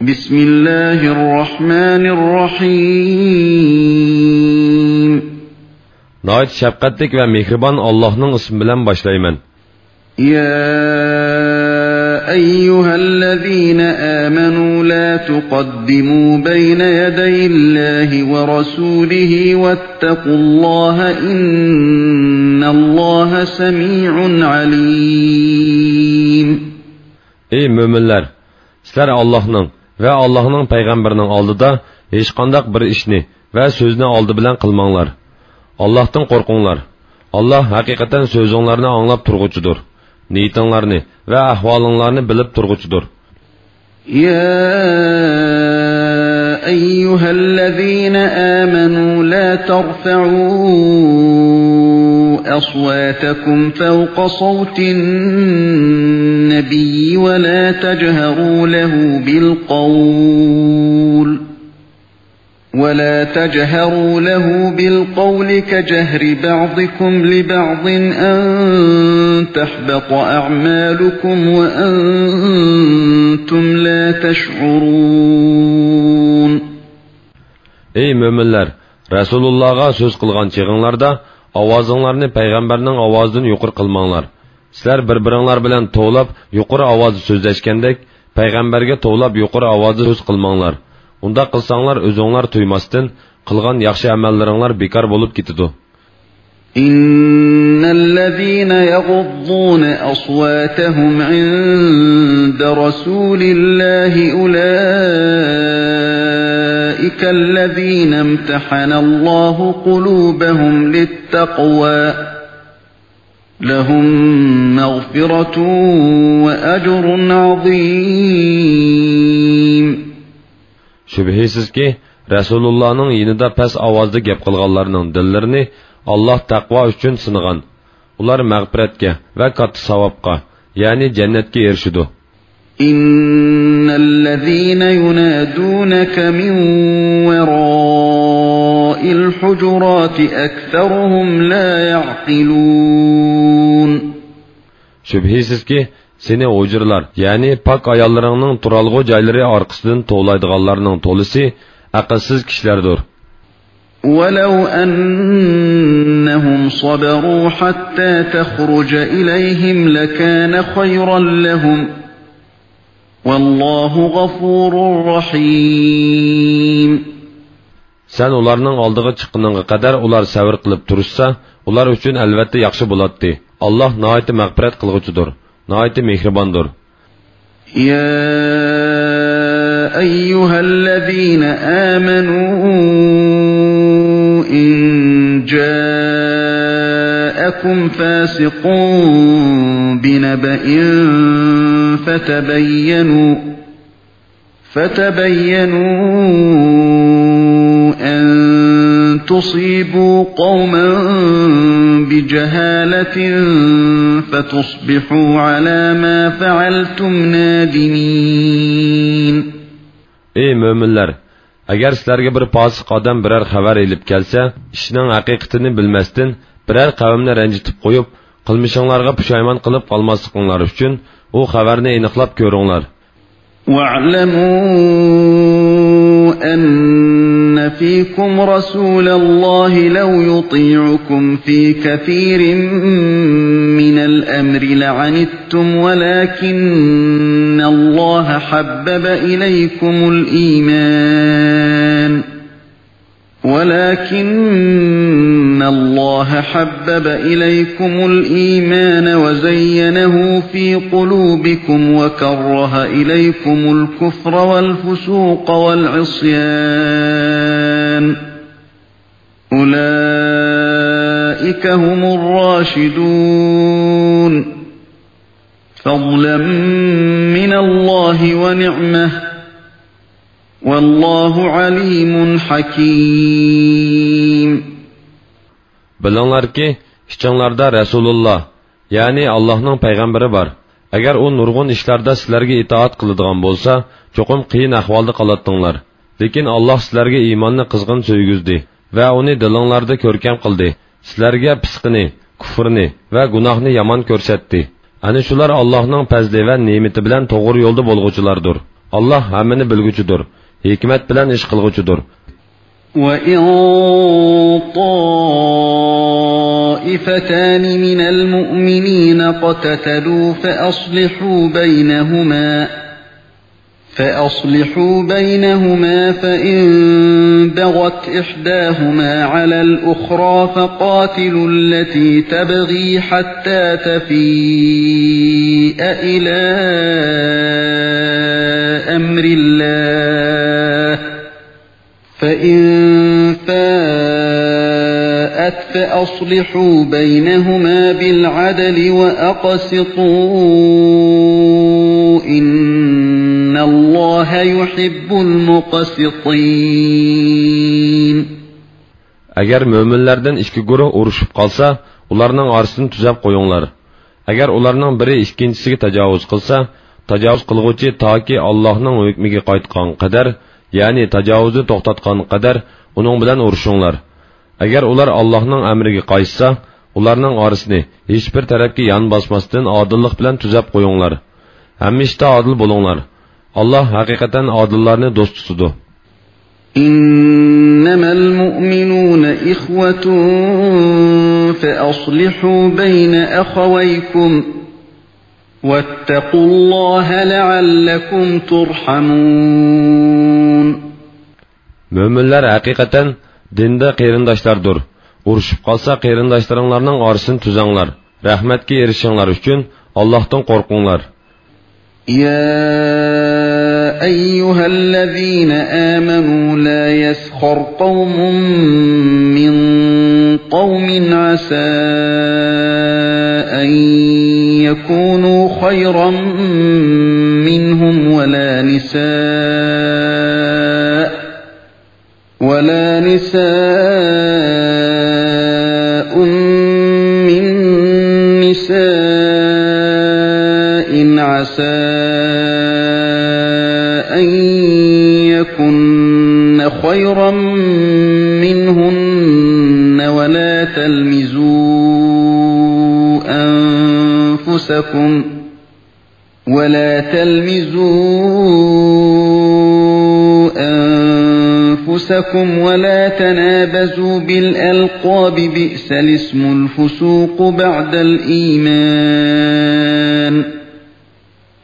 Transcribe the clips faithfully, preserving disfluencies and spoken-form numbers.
بسم الله الرحمن الرحيم. ناھايىتى شەپقەتلىك ۋە مېھرىبان ئاللاھنىڭ ئىسمى بىلەن باشلايمەن. يا أيها الذين آمنوا لا تقدموا بين يدي الله ورسوله واتقوا الله إن الله سميع عليم. ئەي مۆمىنلەر! سىلەر ئاللاھنىڭ ۋە ئاللاھنىڭ پەيغەمبىرىنىڭ ئالدىدا ھېچقانداق بىر ئىشنى ۋە سۆزنى ئالدى بىلەن قىلماڭلار. ئاللاھتىن قورقۇڭلار. ئاللاھ ھەقىقەتەن سۆزۈڭلارنى ئاڭلاپ تۇرغۇچىدۇر. نىيىتىڭلارنى ۋە ئەھۋالىڭلارنى بىلىپ تۇرغۇچىدۇر. يا أيها الذين آمنوا لا ترفعوا أصواتكم فوق صوت النبي ولا تجهروا له بالقول ولا تجهروا له بالقول كجهر بعضكم لبعض أن تحبط أعمالكم وأنتم لا تشعرون. ئەي مۆمىنلەر! رەسۇلۇللاغا سۆز قىلغان چېغىڭلاردا ئاۋازىڭلارنى پەيغەمبەرنىڭ ئاۋازىدىن يۇقىرى قىلماڭلار. سىلەر بىر-بىرىڭلار بىلەن توۋلاپ يۇقىرى ئاۋازدا سۆزلەشكەندەك، پەيغەمبەرگە توۋلاپ يۇقىرى ئاۋازدا سۆز قىلماڭلار. ئۇنداق قىلساڭلار، ئۆزۈڭلار تۇيماستىن قىلغان ياخشى ئەمەللىرىڭلار بىكار بولۇپ كېتىدۇ. إن الذين يغضون أصواتهم عند رسول الله أولئك الذين امتحن الله قلوبهم للتقوى لهم مغفرة وأجر عظيم. شۈبھىسىزكى، رەسۇلۇللانىڭ يېنىدا پەس ئاۋازدا گەپ قىلغانلارنىڭ دىللىرىنى ئاللاھ تەقۋا ئۈچۈن سىنىغان. ئۇلار مەغپىرەتكە ۋە كاتتا ساۋابقا، يەنى جەننەتكە ئېرىشىدۇ. إن الذين ينادونك من وراء الحجرات أكثرهم لا يعقلون. شۈبھىسىزكى، سېنى ھۇجرىلار، يەنى پاك ئاياللىرىڭنىڭ تۇرالغۇ جايلىرى ئارقىسىدىن توۋلايدىغانلارنىڭ تولىسى ئەقىلسىز كىشىلەردۇر. ولو أنهم صبروا حتى تخرج إليهم لكان خيرا لهم. والله غفور رحيم. سەن ئۇلارنىڭ ئالدىغا چىققىنىڭغا قەدەر ئۇلار سەۋر قىلىپ تۇرۇشسا، ئۇلار ئۈچۈن ئەلۋەتتە ياخشى بولاتتى. ئاللاھ ناھايىتى مەغپىرەت قىلغۇچىدۇر، ناھايىتى مېھرىباندۇر. يا أيها الذين آمنوا إن جاءكم فاسق بنبأ فتبينوا فتبينوا أن تصيبوا قوما بجهالة فتصبحوا على ما فعلتم نادمين. ئەي مۆمىنلەر! ئەگەر سىلەرگە بىر پاسىق ئادەم بىرەر خەۋەر ئېلىپ كەلسە، ئىشنىڭ ھەقىقىتىنى بىلمەستىن، بىرەر قەۋمنى رەنجىتىپ قويۇپ، قىلمىشىڭلارغا پۇشايمان قىلىپ قالماسلىقىڭلار ئۈچۈن، ئۇ خەۋەرنى ئېنىقلاپ كۆرۈڭلار. واعلموا أن فيكم رسول الله لو يطيعكم في كثير من الأمر لعنتم ولكن الله حبب إليكم الإيمان ولكن الله حبب إليكم الإيمان وزينه في قلوبكم وكره إليكم الكفر والفسوق والعصيان أولئك هم الراشدون فضلا من الله ونعمة والله عليم حكيم. بىلىڭلاركى، ئىچىڭلاردا رەسۇلۇللا، يەنى ئاللاھنىڭ پەيغەمبىرى بار. ئەگەر ئۇ نۇرغۇن ئىشلاردا سىلەرگە ئىتائەت قىلىدىغان بولسا، چوقۇم قىيىن ئەھۋالدا قالاتتىڭلار. لېكىن ئاللاھ سىلەرگە ئىماننى قىزغىن سۆيگۈزدى ۋە ئۇنى دىلىڭلاردا كۆركەم قىلدى. سىلەرگە پىسقىنى، كۇفرنى ۋە گۇناھنى يامان كۆرسەتتى. ئەنە شۇلار ئاللاھنىڭ پەزلى ۋە نېمىتى بىلەن توغرا يولدا بولغۇچىلاردۇر. ئاللاھ ھەممىنى بىلگۈچىدۇر، ھېكمەت بىلەن ئىش قىلغۇچىدۇر. وَإِن طَائِفَتَانِ مِنَ الْمُؤْمِنِينَ اقْتَتَلُوا فَأَصْلِحُوا بَيْنَهُمَا، فَأَصْلِحُوا بَيْنَهُمَا، فَإِن بَغَتْ إِحْدَاهُمَا عَلَى الْأُخْرَى فَقَاتِلُوا الَّتِي تَبْغِي حَتَّى تَفِيءَ إِلَى أَمْرِ اللَّهِ، فَإِن فَاءَتْ فَأَصْلِحُوا بَيْنَهُمَا بِالْعَدْلِ وَأَقْسِطُوا، إِنَّ اللَّهَ يُحِبُّ الْمُقْسِطِينَ. ئەگەر مۆمىنلەردىن ئىككى گۇرۇھ ئۇرۇشۇپ قالسا، ئۇلارنىڭ ئارىسىنى تۈزەپ قويۇڭلار. ئەگەر ئۇلارنىڭ بىرى ئىككىنچىسىگە تاجاۋۇز قىلسا، تاجاۋۇز قىلغۇچى تاكى ئاللاھنىڭ ھۆكمىگە قايتقان قەدەر، يەنى تاجاۋۇزنى توختاتقان قەدەر ئۇنىڭ بىلەن ئۇرۇشۇڭلار. ئەگەر ئۇلار ئاللاھنىڭ ئەمرىگە قايتسا، ئۇلارنىڭ ئارىسىنى ھېچبىر تەرەپكە يان باسماستىن ئادىللىق بىلەن تۈزەپ قويۇڭلار. ھەممە ئىشتا ئادىل بولۇڭلار. ئاللاھ ھەقىقەتەن ئادىللارنى دوست تۇتىدۇ. إِنَّمَا الْمُؤْمِنُونَ إِخْوَةٌ فَأَصْلِحُوا بَيْنَ أَخَوَيْكُمْ وَاتَّقُوا اللَّهَ لَعَلَّكُمْ تُرْحَمُونَ. مۆمىنلەر ھەقىقەتەن دىندا قېرىنداشلاردۇر. ئۇرۇشۇپ قالسا، قېرىنداشلىرىڭلارنىڭ ئارىسىنى تۈزەڭلار. رەھمەتكە ئېرىشىشىڭلار ئۈچۈن ئاللاھتىن قورقۇڭلار. يَا أَيُّهَا الَّذِينَ آمَنُوا لَا يَسْخَرْ قَوْمٌ مِّن قَوْمٍ عَسَىٰ أَن يَكُونُوا خَيْرًا مِّنْهُمْ وَلَا نِسَاءٌ وَلَا نِسَاءٌ مِّن نِّسَاءٍ عَسَىٰ أَن يَكُنَّ خَيْرًا مِّنْهُنَّ، وَلَا تَلْمِزُوا أَنفُسَكُمْ، وَلَا تَلْمِزُوا أَنفُسَكُمْ وَلَا تَنَابَزُوا بِالْأَلْقَابِ، بِئْسَ الِاسْمُ الْفُسُوقُ بَعْدَ الْإِيمَانِ،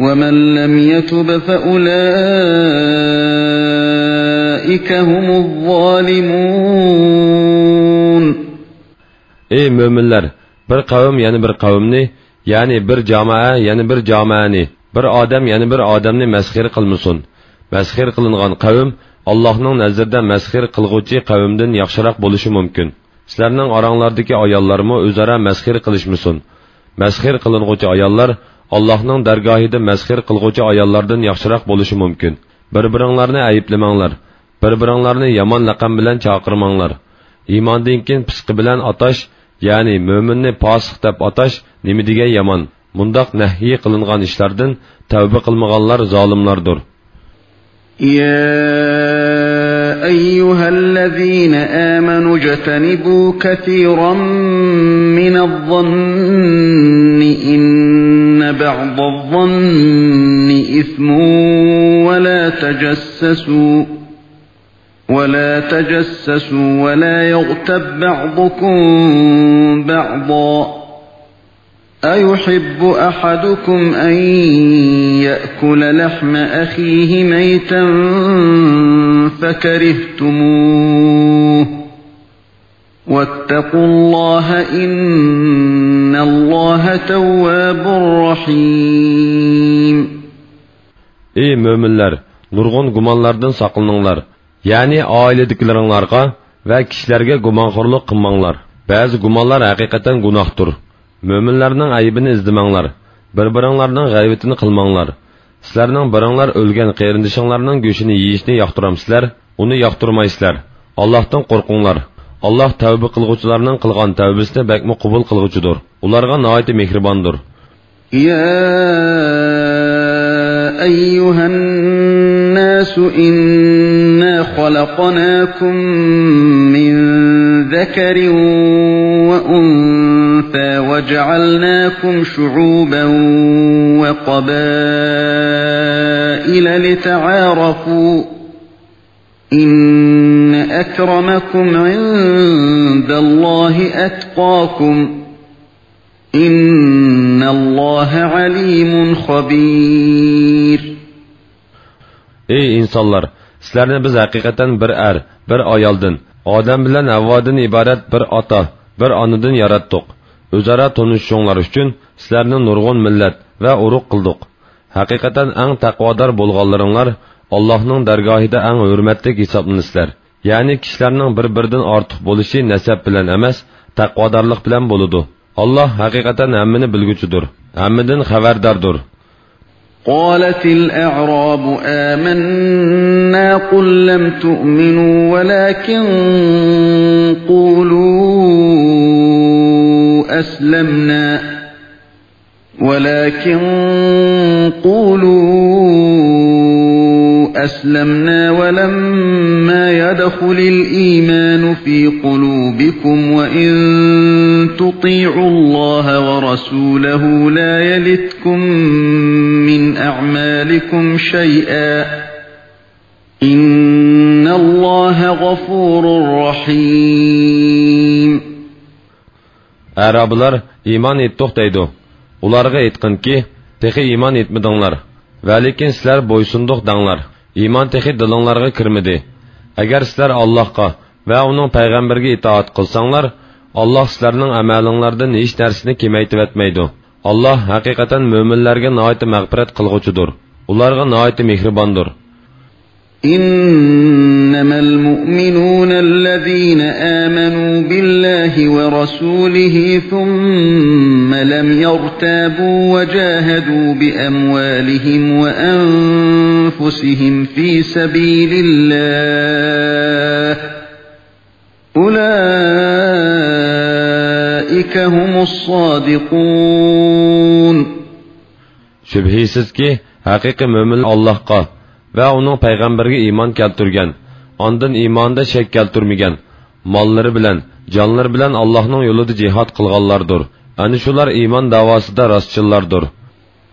وَمَن لَّمْ يَتُبْ فَأُولَٰئِكَ هُمُ الظَّالِمُونَ. ئەي مۆمىنلەر! بىر قەۋم يەنە بىر قەۋمنى، يەنى بىر جامائە يەنە بىر جامائەنى، بىر ئادەم يەنە بىر ئادەمنى مەسخىرە قىلمىسۇن. مەسخىرە قىلىنغان قەۋم ئاللاھنىڭ نەزىرىدە مەسخىرە قىلغۇچى قەۋمدىن ياخشىراق بولۇشى مۇمكىن. سىلەرنىڭ ئاراڭلاردىكى ئاياللارمۇ ئۆزئارا مەسخىرە قىلىشمىسۇن. مەسخىرە قىلىنغۇچى ئاياللار ئاللاھنىڭ دەرگاھىدا مەسخىرە قىلغۇچى ئاياللاردىن ياخشىراق بولۇشى مۇمكىن. بىر-بىرىڭلارنى ئەيىبلىمەڭلار. بىر-بىرىڭلارنى يامان لەقەم بىلەن چاقىرماڭلار. ئىماندىن كېيىن پىسقى بىلەن ئاتاش، يەنى مۆمىننى پاسىق دەپ ئاتاش نېمە دېگەن يامان! مۇنداق نەھيى قىلىنغان ئىشلاردىن تەۋبە قىلمىغانلار زالىملاردۇر. يَا أَيُّهَا الَّذِينَ آمَنُوا اجْتَنِبُوا كَثِيرًا مِّنَ الظَّنِّ إِنَّ بَعْضَ الظَّنِّ إِثْمٌ، وَلَا تَجَسَّسُوا، وَلَا تَجَسَّسُوا، وَلَا يَغْتَب بَّعْضُكُم بَعْضًا، أَيُحِبُّ أَحَدُكُمْ أَن يَأْكُلَ لَحْمَ أَخِيهِ مَيْتًا فَكَرِهْتُمُوهُ، وَاتَّقُوا اللَّهَ، إِنَّ اللَّهَ تَوَّابٌ رَّحِيمٌ. ئەي مۆمىنلەر، نۇرغۇن گۇمانلاردىن ساقلىنىڭلار. يەنى ئائىلىدىكىلىرىڭلارغا ۋە كىشىلەرگە گۇمانخورلۇق قىلماڭلار. بەزى گۇمانلار ھەقىقەتەن گۇناھتۇر. مۆمىنلەرنىڭ ئەيىبىنى ئىزدىمەڭلار. بىر-بىرىڭلارنىڭ غەيۋىتىنى قىلماڭلار. سىلەرنىڭ بىرىڭلار ئۆلگەن قېرىندىشىڭلارنىڭ گۆشىنى يېيىشنى ياقتۇرامسىلەر؟ ئۇنى ياقتۇرمايسىلەر. ئاللاھتىن قورقۇڭلار. ئاللاھ تەۋبە قىلغۇچىلارنىڭ قىلغان تەۋبىسىنى بەكمۇ قوبۇل قىلغۇچىدۇر. ئۇلارغا ناھايىتى مېھرىباندۇر. يَا أَيُّهَا النَّاسُ إِنَّا خَلَقْنَاكُم مِّن ذَكَرٍ وَأُنثَىٰ وجعلناكم شعوبا وقبائل لتعارفوا، إن أكرمكم عند الله أتقاكم، إن الله عليم خبير. ئەي ئىنسانلار، سىلەرنى بىز ھەقىقەتەن بىر ئەر، بىر ئايالدىن، ئادەم بىلەن ھەۋۋادىن ئىبارەت بىر ئاتا، بىر ئانىدىن ياراتتۇق. ئۆزئارا تونۇشۇشۇڭلار ئۈچۈن سىلەرنى نۇرغۇن مىللەت ۋە ئۇرۇق قىلدۇق. ھەقىقەتەن ئەڭ تەقۋادار بولغانلىرىڭلار ئاللاھنىڭ دەرگاھىدا ئەڭ ھۆرمەتلىك ھېسابلىنىسىلەر. يەنى كىشىلەرنىڭ بىر-بىرىدىن ئارتۇق بولۇشى نەسەب بىلەن ئەمەس، تەقۋادارلىق بىلەن بولىدۇ. ئاللاھ ھەقىقەتەن ھەممىنى بىلگۈچىدۇر، ھەممىدىن خەۋەرداردۇر. قالت الأعراب آمنا، قل لم تؤمنوا ولكن قولوا أسلمنا، ولكن قولوا أسلمنا ولما يدخل الإيمان في قلوبكم وإن تطيعوا الله ورسوله لا يلتكم من أعمالكم شيئا، إن الله غفور رحيم. ئەرابىلار ئىمان ئېيتتۇق دەيدۇ. ئۇلارغا ئېيتقىنكى، تېخى ئىمان ئېيتمىدىڭلار. ۋەلىكىن سىلەر بويسۇندۇق دەڭلار. ئىمان تېخى دىلىڭلارغا كىرمىدى. ئەگەر سىلەر ئاللاھقا ۋە ئۇنىڭ پەيغەمبىرىگە ئىتائەت قىلساڭلار، ئاللاھ سىلەرنىڭ ئەمەلىڭلاردىن ھېچ نەرسىنى كېمەيتىۋەتمەيدۇ. ئاللاھ ھەقىقەتەن مۆمىنلەرگە ناھايىتى مەغپىرەت قىلغۇچىدۇر. ئۇلارغا ناھايىتى مېھرىباندۇر. إنما المؤمنون الذين آمنوا بالله ورسوله ثم لم يرتابوا وجاهدوا بأموالهم وأنفسهم في سبيل الله، أولئك هم الصادقون. شۈبھىسىزكى، ھەقىقىي مۆمىنلەر ئاللاھقا ۋە ئۇنىڭ پەيغەمبىرىگە ئىمان كەلتۈرگەن، ئاندىن ئىمانىدا شەك كەلتۈرمىگەن، ماللىرى بىلەن، جانلىرى بىلەن ئاللاھنىڭ يولىدا جىھاد قىلغانلاردۇر. ئەنە شۇلار ئىمان دەۋاسىدا راستچىللاردۇر.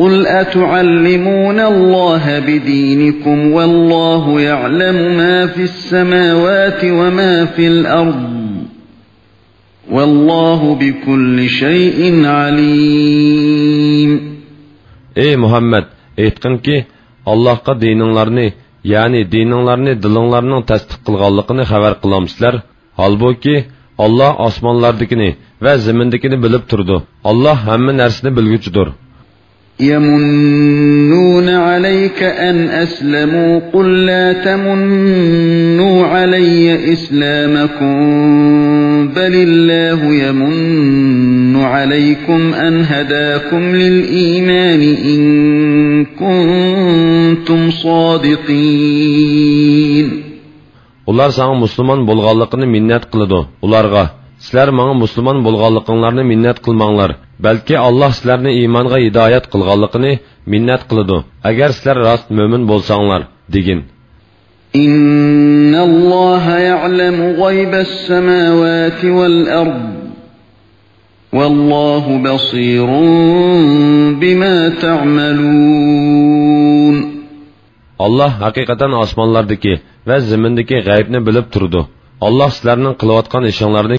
قل أتعلمون الله بدينكم والله يعلم ما في السماوات وما في الأرض، والله بكل شيء عليم. ئەي مۇھەممەد، ئېيتقىنكى، ئاللاھقا دىنىڭلارنى، يەنى دىنىڭلارنى دىلىڭلارنىڭ تەستىق قىلغانلىقىنى خەۋەر قىلامسىلەر؟ ھالبۇكى، ئاللاھ ئاسمانلاردىكىنى ۋە زېمىندىكىنى بىلىپ تۇرىدۇ. ئاللاھ ھەممە نەرسىنى بىلگۈچىدۇر. يمنون عليك أن أسلموا، قل لا تمنوا علي إسلامكم، بل الله يمن عليكم أن هداكم للإيمان إن كنتم صادقين. ئۇلار ساڭا مۇسۇلمان بولغانلىقىنى مىننەت قىلىدۇ. ئۇلارغا، سىلەر ماڭا مۇسۇلمان بولغانلىقىڭلارنى مىننەت قىلماڭلار، بەلكى ئاللاھ سىلەرنى ئىمانغا ھىدايەت قىلغانلىقىنى مىننەت قىلىدۇ، ئەگەر سىلەر راست مۆمىن بولساڭلار، دېگىن. إن الله يعلم غيب السماوات والأرض، والله بصير بما تعملون. ئاللاھ ھەقىقەتەن ئاسمانلاردىكى ۋە زېمىندىكى غەيىبنى بىلىپ تۇرىدۇ. ئاللاھ سىلەرنىڭ قىلىۋاتقان ئىشىڭلارنى